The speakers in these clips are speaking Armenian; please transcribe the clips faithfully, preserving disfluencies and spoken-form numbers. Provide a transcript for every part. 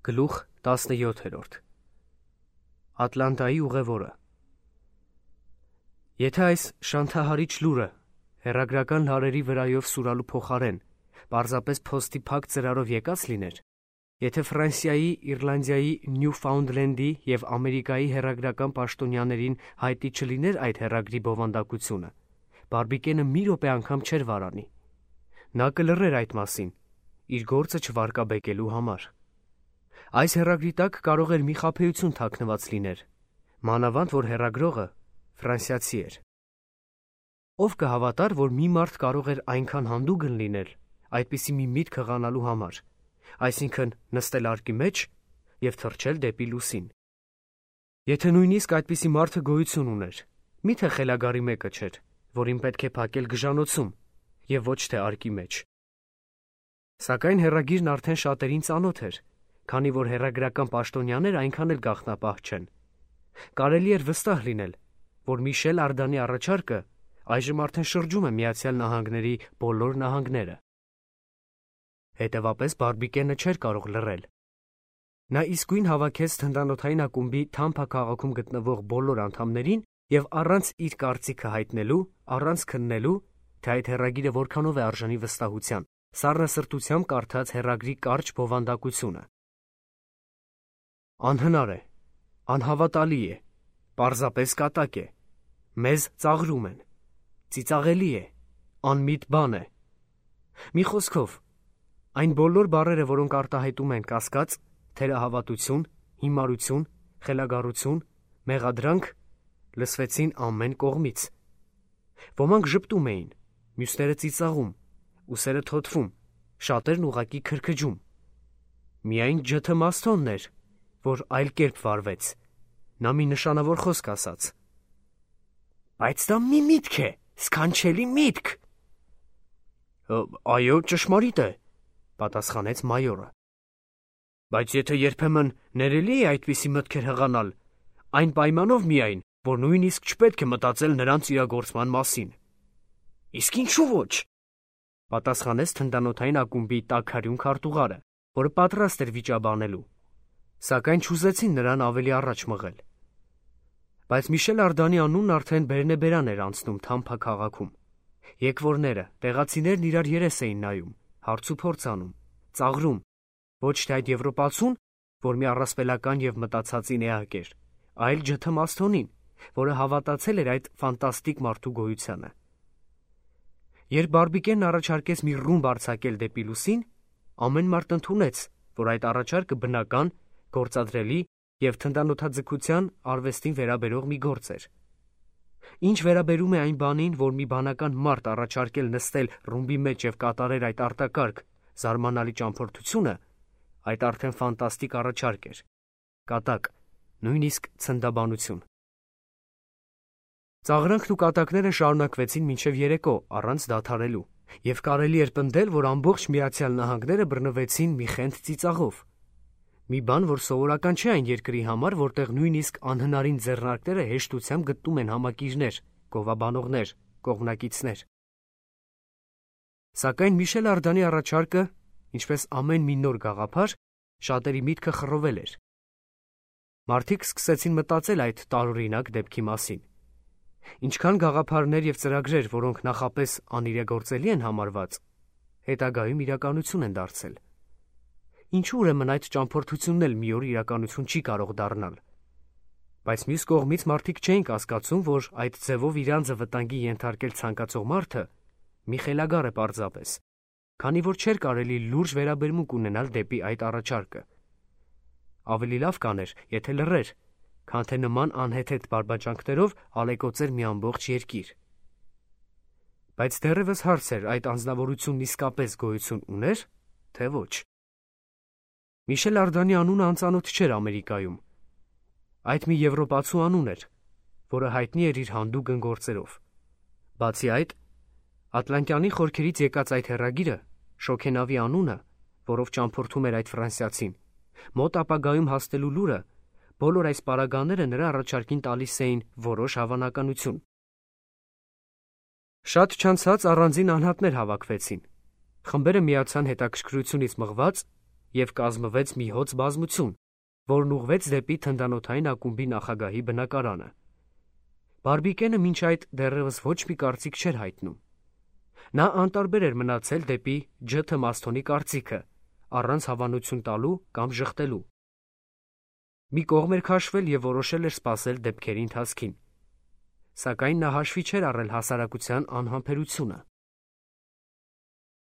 Գլուխ տասնյոթերորդ Ատլանտայի ուղևորը Եթե այս շանթահարիչ լուրը հեռագրական լարերի վրայով սուրալու փոխարեն պարզապես փոստի փակ ծրարով եկած լիներ, եթե Ֆրանսիայի, Իռլանդիայի, Նյուֆաունդլենդի և Ամերիկայի հեռագրական պաշտոնյաներին հայտնի չլիներ այդ հեռագրի բովանդակությունը, Բարբիկենը մի րոպե անգամ չէր վարանի. նա կլռեր այդ մասին, իր գործը չվարկաբեկելու համար։ Այս հեռագրի տակ կարող էր մի խաբեություն թաքնված լիներ, մանավանդ որ հեռագրողը ֆրանսիացի էր։ Ով կհավատար, որ մի մարդ կարող էր այնքան հանդուգն լինել այդպիսի մի միտք հղանալու համար, այսինքն նստել արկի մեջ և թռչել դեպի լուսին։ Եթե նույնիսկ այդպիսի մարդը գոյություն ուներ, մի՞թե խելագարի մեկը չէր, որին պետք է փակել գժանոցում և ոչ թե արկի մեջ։ Սակայն հեռագիրն արդեն շատերին ծանոթ էր, քանի որ հեռագրական պաշտոնյաներ այնքան էլ գաղտնապահ չեն։ Կարելի էր վստահ լինել, որ Միշել Արդանի առաջարկը այժմ արդեն շրջում է Միացյալ Նահանգների բոլոր նահանգները։ Հետևաբար Բարբիկենը չէր կարող լռել։ Նա իսկույն հավաքեց թնդանոթային ակումբի Թամփա քաղաքում գտնվող բոլոր անդամներին և առանց իր կարծիքը հայտնելու, առանց քննելու, թե այդ հեռագիրը որքանով է արժանի վստահության, սառնասրտությամբ կարդաց հեռագրի կարճ բովանդակությունը։ Անհնար է, անհավատալի է, պարզապես կատակ է, մեզ ծաղրում են, ծիծաղելի է, անմիտ բան է։ Մի խոսքով, այն բոլոր բառերը, որոնք արտահայտում են կասկած, թերահավատություն, հիմարություն, խելագարություն, մեղադրանք, լսվեցին ամեն կողմից։ Ոմանք ժպտում էին, մյուսները ծիծաղում, ուսերը թոթվում, շատերն ուղղակի քրքջում։ Միայն Ջ Թ Մասթոնն էր, որ այլ կերպ վարվեց։ Նա մի նշանավոր խոսք ասաց. «Բայց դա մի միտք է, սքանչելի միտք»։ «Այո, ճշմարիտ է», պատասխանեց մայորը։ «Բայց եթե երբեմն ներելի է այդպիսի մտքեր հղանալ, այն պայմանով միայն, որ նույնիսկ չպետք է մտածել նրանց իրագործման մասին»։ «Իսկ ինչու ոչ», պատասխանեց թնդանոթային ակումբի տաքարյուն քարտուղարը, որը պատրաստ էր վիճաբանելու, սակայն չուզեցին նրան ավելի առաջ մղել։ Բայց Միշել Արդանի անունն արդեն բերնեբերան էր անցնում Թամփա քաղաքում։ Եկվորները, տեղացիներն իրար երես էին նայում, հարցուփորձ անում, ծաղրում, ոչ թե այդ եվրոպացուն, որ մի առասպելական և մտացածին էակ էր, այլ Ջ Թ Մասթոնին, որը հավատացել էր այդ ֆանտաստիկ մարդու գոյությանը։ Երբ Բարբիկենն առաջարկեց մի ռումբ արձակել դեպի լուսին, ամեն մարդ ընդունեց, որ այդ առաջարկը բնական, գործադրելի և թնդանոթաձգության արվեստին վերաբերող մի գործ էր։ Ինչ վերաբերում է այն բանին, որ մի բանական մարդ առաջարկել նստել ռումբի մեջ և կատարել այդ արտակարգ, զարմանալի ճամփորդությունը, այդ արդեն ֆանտաստիկ առաջարկ էր, կատակ, նույնիսկ ցնդաբանություն։ Ծաղրանքն ու կատակները շարունակվեցին մինչև երեկո առանց դադարելու, և կարելի էր պնդել, որ ամբողջ Միացյալ Նահանգները բռնվեցին մի խենթ ծիծաղով։ Մի բան, որ սովորական չէ այն երկրի համար, որտեղ նույնիսկ անհնարին ձեռնարկները հեշտությամբ գտնում են համակիրներ, գովաբանողներ, կողմնակիցներ։ Սակայն Միշել Արդանի առաջարկը, ինչպես ամեն մի նոր գաղափար, շատերի միտքը խռովել էր։ Մարդիկ սկսեցին մտածել այդ տարօրինակ դեպքի մասին։ Ինչքան գաղափարներ և ծրագրեր, որոնք նախապես անիրագործելի են համարված, հետագայում իրականություն են դարձել։ Ինչու ուրեմն այդ ճամփորդությունն էլ մի օր իրականություն չի կարող դառնալ։ Բայց մյուս կողմից մարդիկ չէին կասկածում, որ այդ ձևով իրանձը վտանգի ենթարկել ցանկացող մարդը մի խելագար է պարզապես, քանի որ չէր կարելի լուրջ վերաբերմունք ունենալ դեպի այդ առաջարկը։ Ավելի լավ կաներ, եթե լռեր, քան թե նման անհեթեթ բարբաջանքներով ալեկոծեր մի ամբողջ երկիր։ Բայց դեռևս հարց էր, այդ անձնավորությունն իսկապես գոյություն ուներ, թե ոչ։ Միշել Արդանի անունը անծանոթ չէր Ամերիկայում։ Այդ մի եվրոպացու անուն էր, որը հայտնի էր իր հանդուգն գործերով։ Բացի այդ, Ատլանտյանի խորքերից եկած այդ հեռագիրը, շոգենավի անունը, որով ճամփորդում էր այդ ֆրանսիացին, մոտ ապագայում հասնելու լուրը, բոլոր այս պարագաները նրա առաջարկին տալիս էին որոշ հավանականություն։ Շատ չանցած առանձին անհատներ հավաքվեցին։ Խմբերը միացան հետաքրքրությունից մղված և կազմվեց մի հոծ բազմություն, որն ուղղվեց դեպի թնդանոթային ակումբի նախագահի բնակարանը։ Բարբիկենը մինչ այդ դեռևս ոչ մի կարծիք չէր հայտնում։ Նա անտարբեր էր մնացել դեպի Ջ. Թմասթոնի կարծիքը, առանց հավանություն տալու կամ ժխտելու։ Մի կողմ էր քաշվել և որոշել էր սպասել դեպքերի ընթացքին, սակայն նա հաշվի չէր առել հասարակության անհամբերությունը։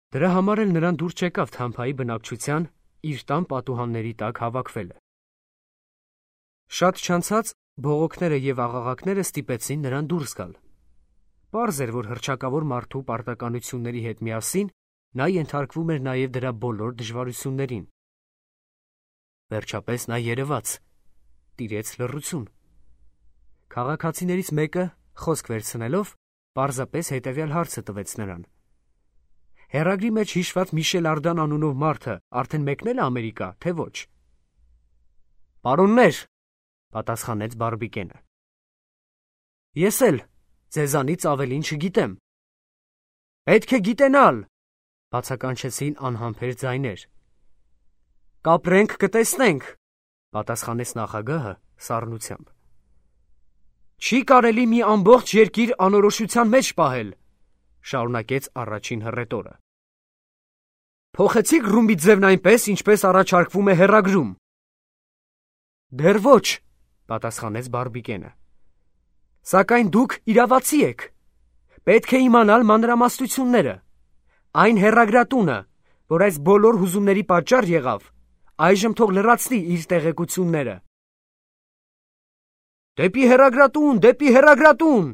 Դրա համար էլ նրան դուր չեկավ Թամփայի բնակչության իր տան պատուհանների տակ հավաքվելը։ Շատ չանցած բողոքները և աղաղակները ստիպեցին նրան դուրս գալ։ Պարզ էր, որ հռչակավոր մարդու պարտականությունների հետ միասին նա ենթարկվում էր նաև դրա բոլոր դժվարություններին։ Վերջապես նա երևաց, տիրեց լռություն։ Քաղաքացիներից մեկը, խոսք վերցնելով, պարզապես հետևյալ հարցը տվեց նրան. «Հեռագրի մեջ հիշված Միշել Արդան անունով մարդը արդեն մեկնել է Ամերիկա, թե ոչ»։ «Պարոններ», պատասխանեց Բարբիկենը, «ես էլ ձեզանից ավելին չգիտեմ»։ «Պետք է գիտենալ», բացականչեցին անհամբեր ձայներ։ «Կապրենք, կտեսնենք», պատասխանեց նախագահը սառնությամբ։ «Չի կարելի մի ամբողջ երկիր անորոշության մեջ պահել», շարունակեց առաջին հռետորը։ «Փոխեցի՞ք ռումբի ձևն այնպես, ինչպես առաջարկվում է հեռագրում»։ «Դեռ ոչ», պատասխանեց Բարբիկենը։ «Սակայն դուք իրավացի եք։ Պետք է իմանալ մանրամասնությունները։ Այն հեռագրատունը, որ այս բոլոր հուզումների պատճառ եղավ, այժմ թող լրացնի իր տեղեկությունները»։ «Դեպի հեռագրատուն, դեպի հեռագրատուն»,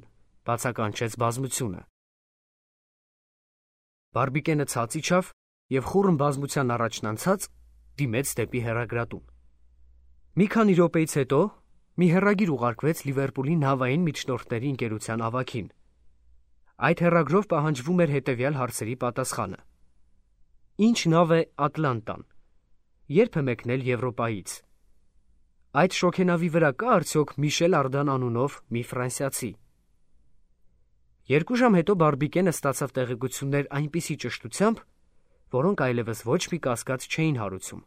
բացականչեց բազմությունը։ Բարբիկենը ցած իջավ և խուռն բազմության առաջն անցած դիմեց դեպի հեռագրատուն։ Մի քանի րոպեից հետո մի հեռագիր ուղարկվեց Լիվերպուլի նավային միջնորդների ընկերության ավագին։ Այդ հեռագրով պահանջվում էր հետևյալ հարցերի պատասխանը. Ինչ նավ է Ատլանտան։ Երբ է մեկնել Եվրոպայից։ Այդ շոգենավի վրա կա արդյոք Միշել Արդան անունով մի ֆրանսիացի։ Երկու ժամ հետո Բարբիկենը ստացավ տեղեկություններ այնպիսի ճշտությամբ, որոնք այլևս ոչ մի կասկած չէին հարուցում։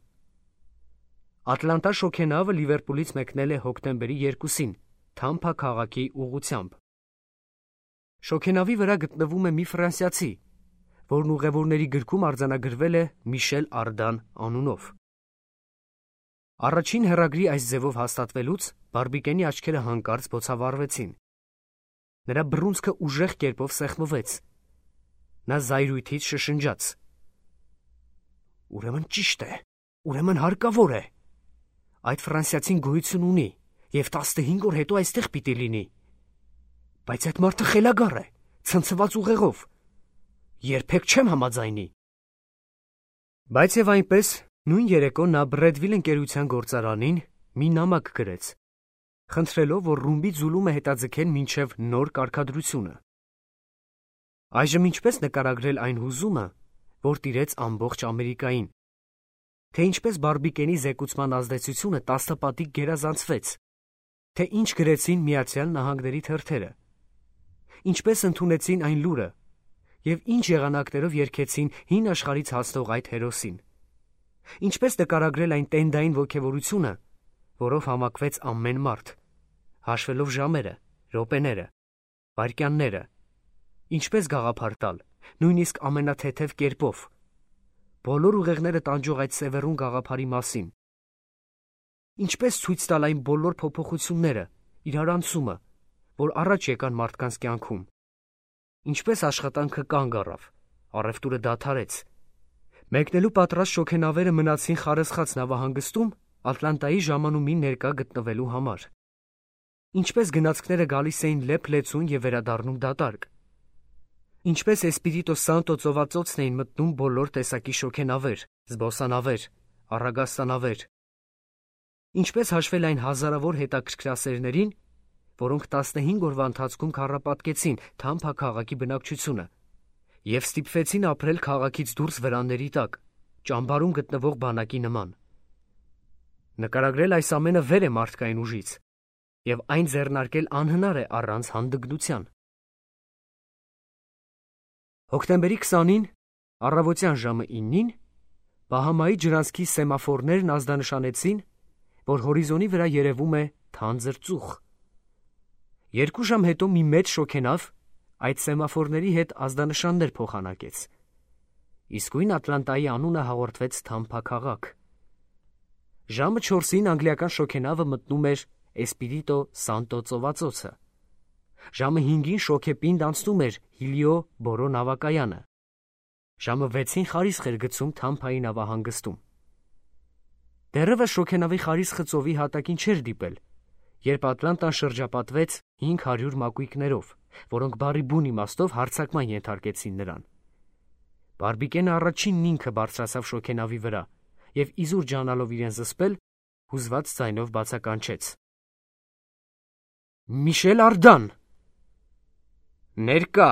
Ատլանտա շոգենավը Լիվերպուլից մեկնել է հոկտեմբերի երկուսին Թամփա քաղաքի ուղղությամբ։ Շոգենավի վրա գտնվում է մի ֆրանսիացի, որն ուղևորների գրքում արձանագրվել է Միշել Արդան անունով։ Առաջին հեռագրի այս ձևով հաստատվելուց Բարբիկենի աչքերը հանկարծ բոցավառվեցին։ Նրա բռունցքը ուժեղ կերպով սեղմվեց։ Նա զայրույթից շշնջաց. «Ուրեմն ճիշտ է, ուրեմն հարկավոր է։ Այդ ֆրանսիացին գոյություն ունի և տասնհինգ օր հետո այստեղ պիտի լինի։ Բայց այդ մարդը խելագար է, ցնցված ուղեղով։ Երբեք չեմ համաձայնի»։ Բայց և այնպես նույն երեկո նա Բրեդվիլ ընկերության գործարանին մի նամակ գրեց, խնդրելով, որ ռումբի ձուլումը հետաձգեն մինչև նոր կարգադրությունը։ Այժմ ինչպես նկարագրել այն հուզումը, որ տիրեց ամբողջ Ամերիկային, թե ինչպես Բարբիկենի զեկուցման ազդեցությունը տասնապատիկ գերազանցվեց, թե ինչ գրեցին Միացյալ Նահանգների թերթերը, ինչպես ընդունեցին այն լուրը և ինչ եղանակներով երգեցին հին աշխարհից հասնող այդ հերոսին, ինչպես նկարագրել այն տենդային ոգևորությունը, որով համակվեց ամեն մարդ, հաշվելով ժամերը, րոպեները, վայրկյանները, ինչպես գաղափար տալ, նույնիսկ ամենաթեթև կերպով, բոլոր ուղեղները տանջող այդ սևեռուն գաղափարի մասին, ինչպես ցույց տալ այն բոլոր փոփոխությունները, իրարանցումը, որ առաջ եկան մարդկանց կյանքում, ինչպես աշխատանքը կանգ առավ, առևտուրը դադարեց, մեկնելու պատրաստ շոգենավերը մնացին Խարսխաց նավահանգստում Ատլանտայի ժամանումին ներկա գտնվելու համար, ինչպես գնացքները գալիս էին լեփ-լեցուն և վերադառնում դատարկ, ինչպես Էսպիրիտո Սանտո ծովածոցն էին մտնում բոլոր տեսակի շոգենավեր, զբոսանավեր, առագաստանավեր, ինչպես հաշվել այն հազարավոր հետաքրքրասերներին, որոնք տասնհինգ օրվա ընթացքում քառապատկեցին Թամփա քաղաքի բնակչությունը և ստիպվեցին ապրել քաղաքից դուրս վրանների տակ, ճամբարում գտնվող բանակի նման։ Նկարագրել այս ամենը վեր է մարդկային ուժից, և այն ձեռնարկել անհնար է առանց հանդգնության։ Հոկտեմբերի քսանին, առավոտյան ժամը իննին, Բահամայի ջրանցքի սեմաֆորներն ազդանշանեցին, որ հորիզոնի վրա երևում է թանձր ծուխ։ Երկու ժամ հետո մի մեծ շոգենավ այդ սեմաֆորների հետ ազդանշաններ փոխանակեց։ Իսկույն Ատլանտայի անունը հաղորդվեց թամփաքաղաք։ Ժամը չորսին անգլիական շոգենավը մտնում էր Էսպիրիտո Սանտո ծովածոցը։ Ժամը հինգին շոգեպինդ անցնում էր Հիլիո Բորո նավակայանը։ Ժամը վեցին խարիսխ էր գցում Թամփայի նավահանգստում։ Դեռևս շոգենավի խարիսխը ծովի հատակին չէր դիպել, երբ Ատլանտան շրջապատվեց հինգ հարյուր մակույկներով, որոնք բառի բուն իմաստով հարձակման ենթարկեցին նրան։ Բարբիկենը առաջինն ինքը բարձրացավ շոգենավի վրա և իզուր ջանալով իրեն զսպել, հուզված ձայնով բացականչեց. «Միշել Արդան»։ «Ներկա»,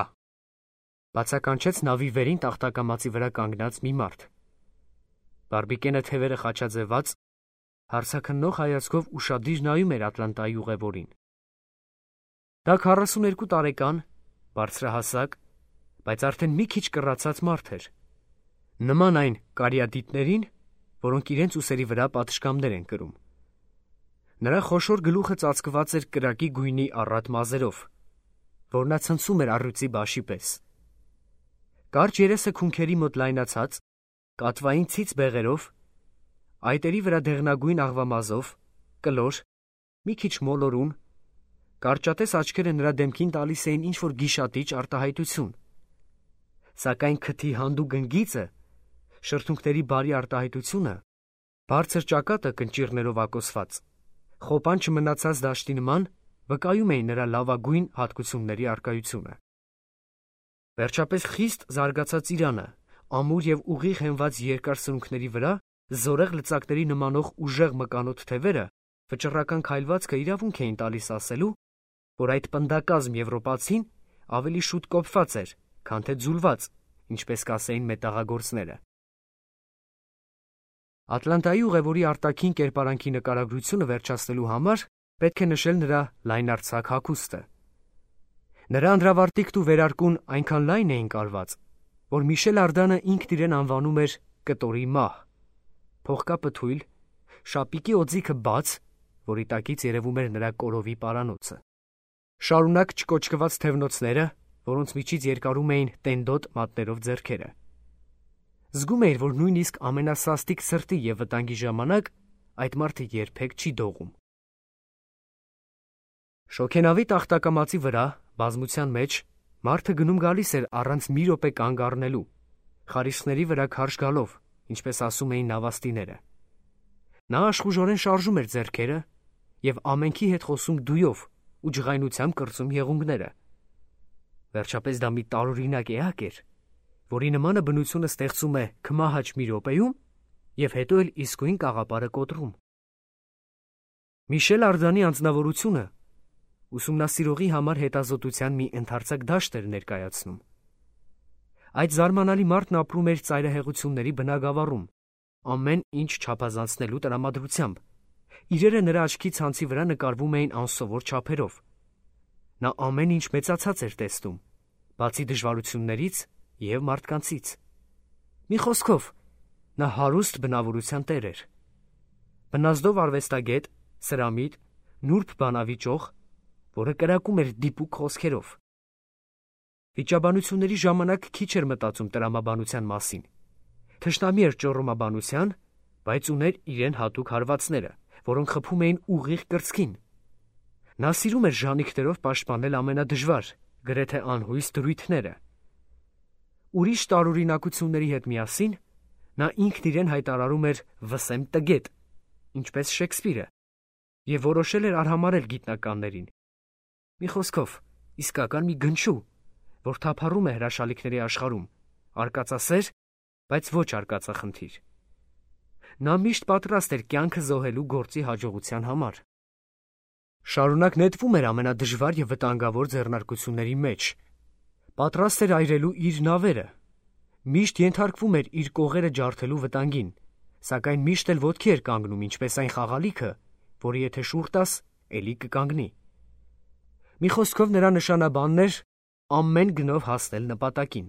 բացականչեց նավի վերին տախտակամածի վրա կանգնած մի մարդ։ Բարբիկենը թևերը խաչաձևած, հարցաքննող հայացքով ուշադիր նայում էր Ատլանտայի ուղևորին։ Դա քառասուներկու տարեկան, բարձրահասակ, բայց արդեն մի քիչ կռացած մարդ էր, նման այն կարիադիտներին, որոնք իրենց ուսերի վրա պատշգամբներ են կրում։ Նրա խոշոր գլուխը ծածկված էր կրակի գույնի առատ մազերով, որ նա ցնցում էր առյուծի բաշի պես։ Կարճ երեսը քունքերի մոտ լայնացած, կատվային ցից բեղերով, այտերի վրա դեղնագույն աղվամազով, կլոր, մի քիչ մոլորուն, կարճատես աչքերը նրա դեմքին տալիս էին ինչ-որ գիշատիչ արտահայտություն։ Սակայն քթի հանդուգն գիծը, շրթունքների բարի արտահայտությունը, բարձր ճակատը կնճիռներով ակոսված, խոպան չմնացած դաշտի նման վկայում էին նրա լավագույն հատկությունների առկայությունը։ Վերջապես խիստ զարգացած իրանը, ամուր և ուղիղ հենված երկար սրունքների վրա զորեղ լծակների նմանող ուժեղ մկանոտ թևերը վճռական քայլվածքը իրավունք էին տալիս ասելու, որ այդ պնդակազմ եվրոպացին ավելի շուտ կոփված էր, քան թե ձուլված, ինչպես կասեին մետաղագործները։ Ատլանտայի ուղևորի արտաքին կերպարանքի նկարագրությունը վերջացնելու համար պետք է նշել նրա լայնարձակ հագուստը։ Նրա անդրավարտիքն ու վերարկուն այնքան լայն էին կարված, որ Միշել Արդանը ինքն իրեն անվանում էր կտորի մահ, փողկապը թույլ, շապիկի օձիքը բաց, որի տակից երևում էր նրա կորովի պարանոցը։ Շարունակ չկոճկված թևնոցները, որոնց միջից երկարում էին տենդոտ մատներով ձեռքերը։ Զգում էիր, որ նույնիսկ ամենասաստիկ սրտի և վտանգի ժամանակ այդ մարդը երբեք չի դողում։ Շոգենավի տախտակամածի վրա, բազմության մեջ, մարդը գնում գալիս էր առանց մի րոպե կանգ առնելու, խարիսխների վրա քարշ գալով, ինչպես ասում էին նավաստիները։ Նա աշխուժորեն շարժում էր ձեռքերը և ամենքի հետ խոսում դույով ու ջղայնությամբ կրծում եղունգները։ Վերջապես դա մի տարօրինակ էակ էր, որի նմանը բնությունը ստեղծում է քմահաճ մի րոպեում և հետո էլ իսկույն կաղապարը կոտրում։ Միշել Արդանի անձնավորությունը ուսումնասիրողի համար հետազոտության մի ընդարձակ դաշտ էր ներկայացնում։ Այդ զարմանալի մարդն ապրում էր ծայրահեղությունների բնագավառում, ամեն ինչ չափազանցնելու տրամադրությամբ։ Իրերը նրա աչքի ցանցի վրա նկարվում էին անսովոր չափերով։ Նա ամեն ինչ մեծացած էր տեսնում, բացի դժվարություններից և մարդկանցից։ Մի խոսքով, նա հարուստ բնավորության տեր էր։ Բնազդով արվեստագետ, սրամիտ, նուրբ բանավի ճոխ, որը կրակում էր դիպուկ խոսքերով։ Վիճաբանությունների ժամանակ քիչ էր մտածում տրամաբանության մասին։ Թշնամի էր ճոռոմաբանության, բայց ուներ իրեն հատուկ հարվածները, որոնք խփում էին ուղիղ կրծքին։ Նա սիրում էր ժանիքներով պաշտպանել ամենադժվար, գրեթե անհույս դրույթները։ Ուրիշ տարօրինակությունների հետ միասին նա ինքն իրեն հայտարարում էր «վսեմ տգետ», ինչպես Շեքսպիրը, և որոշել էր արհամարհել գիտնականներին։ Մի խոսքով, իսկական մի գնչու, որ թափառում է հրաշալիքների աշխարհում, արկածասեր, բայց ոչ արկածախնդիր։ Նա միշտ պատրաստ էր կյանքը զոհելու գործի հաջողության համար։ Շարունակ նետվում էր ամենադժվար և վտանգավոր ձեռնարկությունների մեջ։ Պատրաստ էր այրելու իր նավերը, միշտ ենթարկվում էր իր կողերը ջարդելու վտանգին, սակայն միշտ էլ ոտքի էր կանգնում, ինչպես այն խաղալիքը, որը եթե շուռ տաս, էլի կկանգնի։ Մի խոսքով նրա նշանաբանն էր ամեն գնով հասնել նպատակին։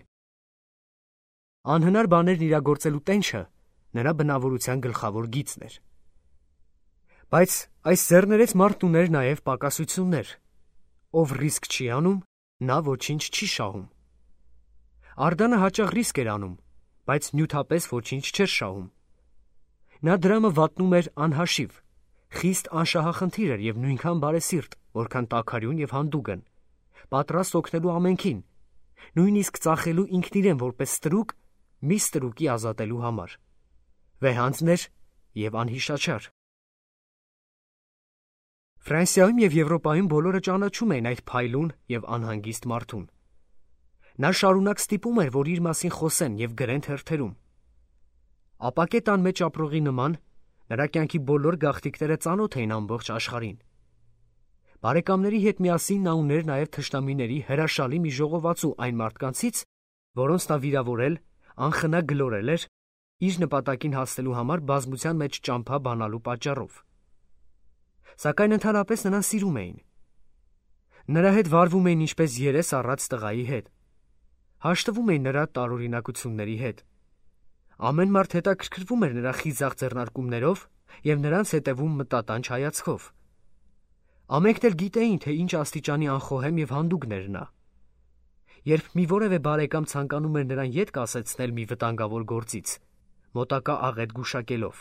Անհնար բաներն իրագործելու տենչը նրա բնավորության գլխավոր գիծն էր։ Բայց այս ձեռներից մարդն ուներ նաև պակասություններ։ Ով ռիսկ չի անում, նա ոչինչ չի շահում։ Ардանը հաճախ ռիսկ էր անում, բայց նյութապես ոչինչ չէր շահում։ Նա դրամը վատնում էր անհաշիվ, խիստ անշահախնդիր էր և նույնքան բարեսիրտ, որքան տաքարյուն և հանդուգն, պատրաստ օգնելու ամենքին, նույնիսկ ծախելու ինքն իրեն որպես ստրուկ, մի ստրուկի ազատելու համար։ Վեհանձն էր և անհիշաչար։ Ֆրանսիայում և Եվրոպայում բոլորը ճանաչում էին այդ փայլուն և անհանգիստ մարդուն։ Նա շարունակ ստիպում էր, որ իր մասին խոսեն և գրեն թերթերում։ Ապակե տան մեջ ապրողի նման, նրա կյանքի բոլոր գաղթիքները ծանոթ էին ամբողջ աշխարհին։ Բարեկամների հետ միասին նա ուներ նաև թշնամիների հրաշալի մի ժողովածու այն մարդկանցից, որոնց նա վիրավորել, անխնա գլորել էր, իր նպատակին հասնելու համար բազմության մեջ ճամփա բանալու պատճառով։ Սակայն ընդհանրապես նրան սիրում էին։ Նրա հետ վարվում էին ինչպես երես առած տղայի հետ։ Հաշտվում էին նրա տարօրինակությունների հետ։ Ամեն մարդ հետաքրքրվում էր նրա խիզախ ձեռնարկումներով և նրանց հետևում մտատանչ հայացքով։ Ամենքն էլ գիտեին, թե ինչ աստիճանի անխոհեմ և հանդուգն էր նա։ Երբ մի որևէ բարեկամ ցանկանում էր նրան ետ կասեցնել մի վտանգավոր գործից, մոտակա աղետ գուշակելով,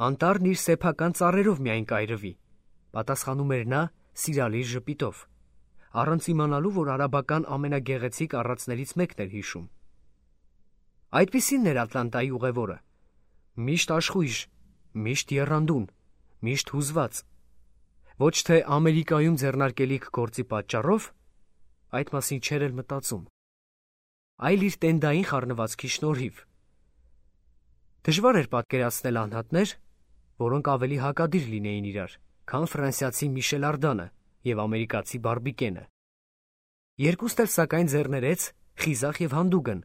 անտառն իր սեփական ծառերով միայն կայրվի, պատասխանում էր նա սիրալիր ժպիտով, առանց իմանալու, որ արաբական ամենագեղեցիկ առածներից մեկն էր հիշում։ Այդպիսինն էր Ատլանտայի ուղևորը՝ միշտ աշխույժ, միշտ եռանդուն, միշտ հուզված։ Ոչ թե Ամերիկայում ձեռնարկելիք գործի պատճառով, այդ մասին չէր էլ մտածում, այլ իր տենդային խառնվածքի շնորհիվ։ Դժվար էր պատկերացնել անհատներ, որոնք ավելի հակադիր լինեին իրար, քան ֆրանսիացի Միշել Արդանը և ամերիկացի Բարբիկենը։ Երկուստ էլ սակայն ձեռներեց, խիզախ և հանդուգն,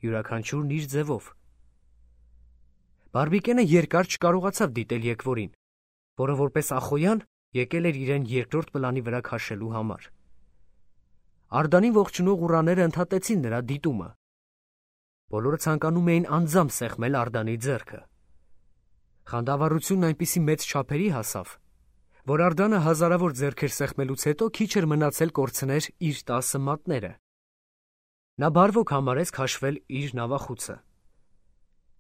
յուրաքանչյուրն իր ձևով։ Բարբիկենը երկար չկարողացավ դիտել եկվորին, որը որպես Ախոյան եկել էր իրեն երկրորդ պլանի վրա քաշելու համար։ Ардանին ողջունող ուռաները ընդհատեցին նրա դիտումը։ Բոլորը ցանկանում էին անձամբ սեղմել Ардանի ձեռքը։ Խանդավառությունն այնպիսի մեծ չափերի հասավ, որ Ардանը հազարավոր ձեռքեր սեղմելուց հետո քիչ էր մնացել կորցներ իր տասը մատները։ Նա բարվոք համարեց քաշվել իր նավախուցը։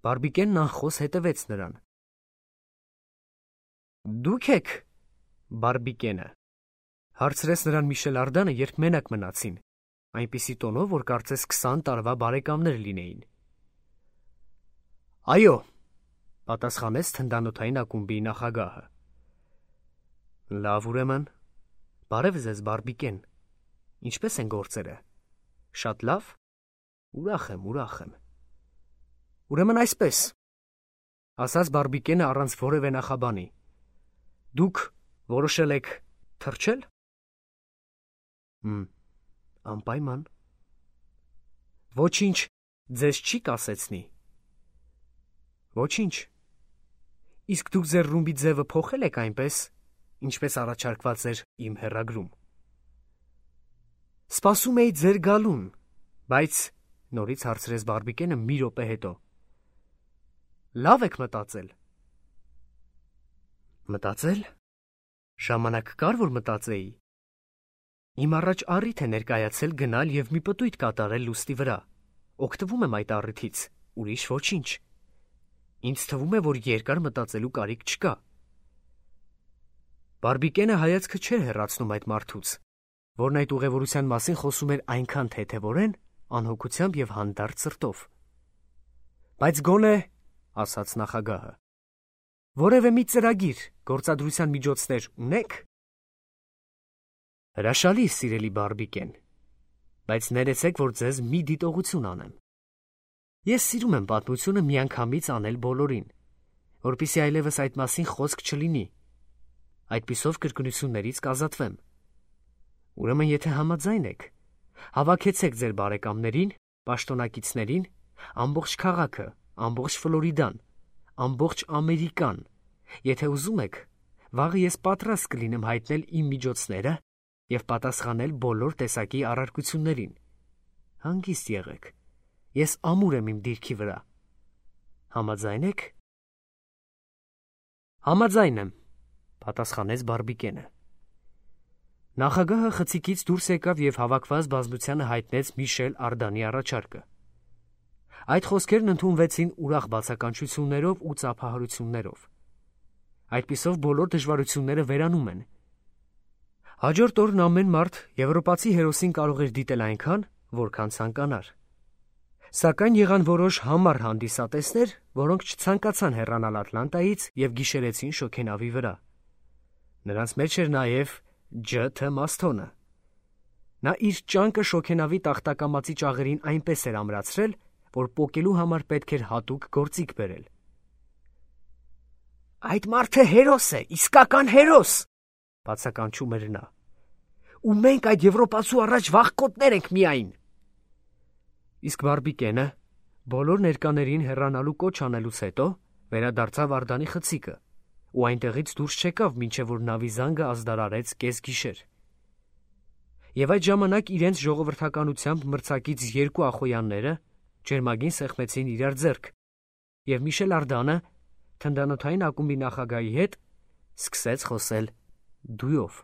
Բարբիկենն անխոս հետևեց նրան։ Դու՞ք եք Բարբիկենը, հարցրեց նրան Միշել Ардանը, երբ մենակ մնացին, այնպիսի տոնով, որ կարծես քսան տարվա բարեկամներ լինեին։ Այո, պատասխանեց թնդանոթային ակումբի նախագահը։ Լավ, ուրեմն, բարև ձեզ, Բարբիկեն, ինչպե՞ս են գործերը։ Շատ լավ։ Ուրախ եմ, ուրախ եմ։ Ուրեմն այսպես, ասաց Բարբիկենը առանց որևէ նախաբանի։ Դուք որոշել եք թռչել։ Հմ, անպայման։ Ոչինչ ձեզ չի կասեցնի։ Ոչինչ։ Իսկ դուք ձեր ռումբի ձևը փոխել եք այնպես, ինչպես առաջարկված էր իմ հեռագրում։ Սպասում էի ձեր գալուն, բայց, նորից հարցրեց Բարբիկենը մի րոպե հետո։ Լավ եք մտածել։ Մտածել։ Ժամանակ կար, որ մտածեի։ Իմ առաջ առիթ է ներկայացել գնալ և մի պտույտ կատարել լուստի վրա։ Օգտվում եմ այդ առիթից, ուրիշ ոչինչ։ Ինձ թվում է, որ երկար մտածելու կարիք չկա։ Բարբիկենը հայացքը չէր հեռացնում այդ մարդուց, որն այդ ուղևորության մասին խոսում էր այնքան թեթևորեն, անհոգությամբ և հանդարտ սրտով։ Բայց գոնե, ասաց նախագահը, որևէ մի ծրագիր, գործադրության միջոցներ ունեք։ Հրաշալի, սիրելի Բարբիկեն, բայց ներեցեք, որ ձեզ մի դիտողություն անեմ։ Ես սիրում եմ պատմությունը միանգամից անել բոլորին, որպեսզի այլևս այդ մասին խոսք չլինի։ Այդպիսով կրկնություններից կազատվեմ։ Ուրեմն, եթե համաձայն եք, հավաքեցեք ձեր բարեկամներին, պաշտոնակիցներին, ամբողջ քաղաքը, ամբողջ Ֆլորիդան, ամբողջ Ամերիկան, եթե ուզում եք, վաղը ես պատրաստ կլինեմ հայտնել իմ միջոցները և պատասխանել բոլոր տեսակի առարկություններին։ Հանգիստ եղեք, ես ամուր եմ իմ դիրքի վրա։ Համաձայն եք։ Համաձայն եմ, պատասխանեց Բարբիկենը։ Նախագահը խցիկից դուրս եկավ և հավաքված բազմությանը հայտնեց Միշել Արդանի առաջարկը։ Այդ խոսքերն ընդունվեցին ուրախ բացականչություններով ու ծափահարություններով։ Այդպիսով բոլոր դժվարությունները վերանում են։ Հաջորդ օրն ամեն մարդ եվրոպացի հերոսին կարող էր դիտել այնքան, որքան ցանկանար։ Սակայն եղան որոշ համառ հանդիսատեսներ, որոնք չցանկացան հեռանալ Ատլանտայից և գիշերեցին շոգենավի վրա։ Նրանց մեջ էր նաև Ջ Թ Մասթոնը։ Նա իր ճանկը շոգենավի տախտակամածի ճաղերին այնպես էր ամրացրել, որ պոկելու համար պետք էր հատուկ գործիք բերել։ «Այդ մարդը հերոս է, իսկական հերոս», բացականչում էր նա։ «Ու մենք այդ եվրոպացու առաջ վախկոտներ ենք միայն»։ Իսկ Բարբիկենը, բոլոր ներկաներին հեռանալու կոչ անելուց հետո, վերադարձավ Արդանի խցիկը ու այնտեղից դուրս չեկավ, մինչև որ նավի զանգը ազդարարեց կեսգիշեր։ Եվ այդ ժամանակ իրենց ժողովրդականությամբ մրցակից երկու ախոյանները ջերմագին սեղմեցին իրար ձեռք, և Միշել Արդանը թնդանոթային ակումբի նախագահի հետ սկսեց խոսել դույով։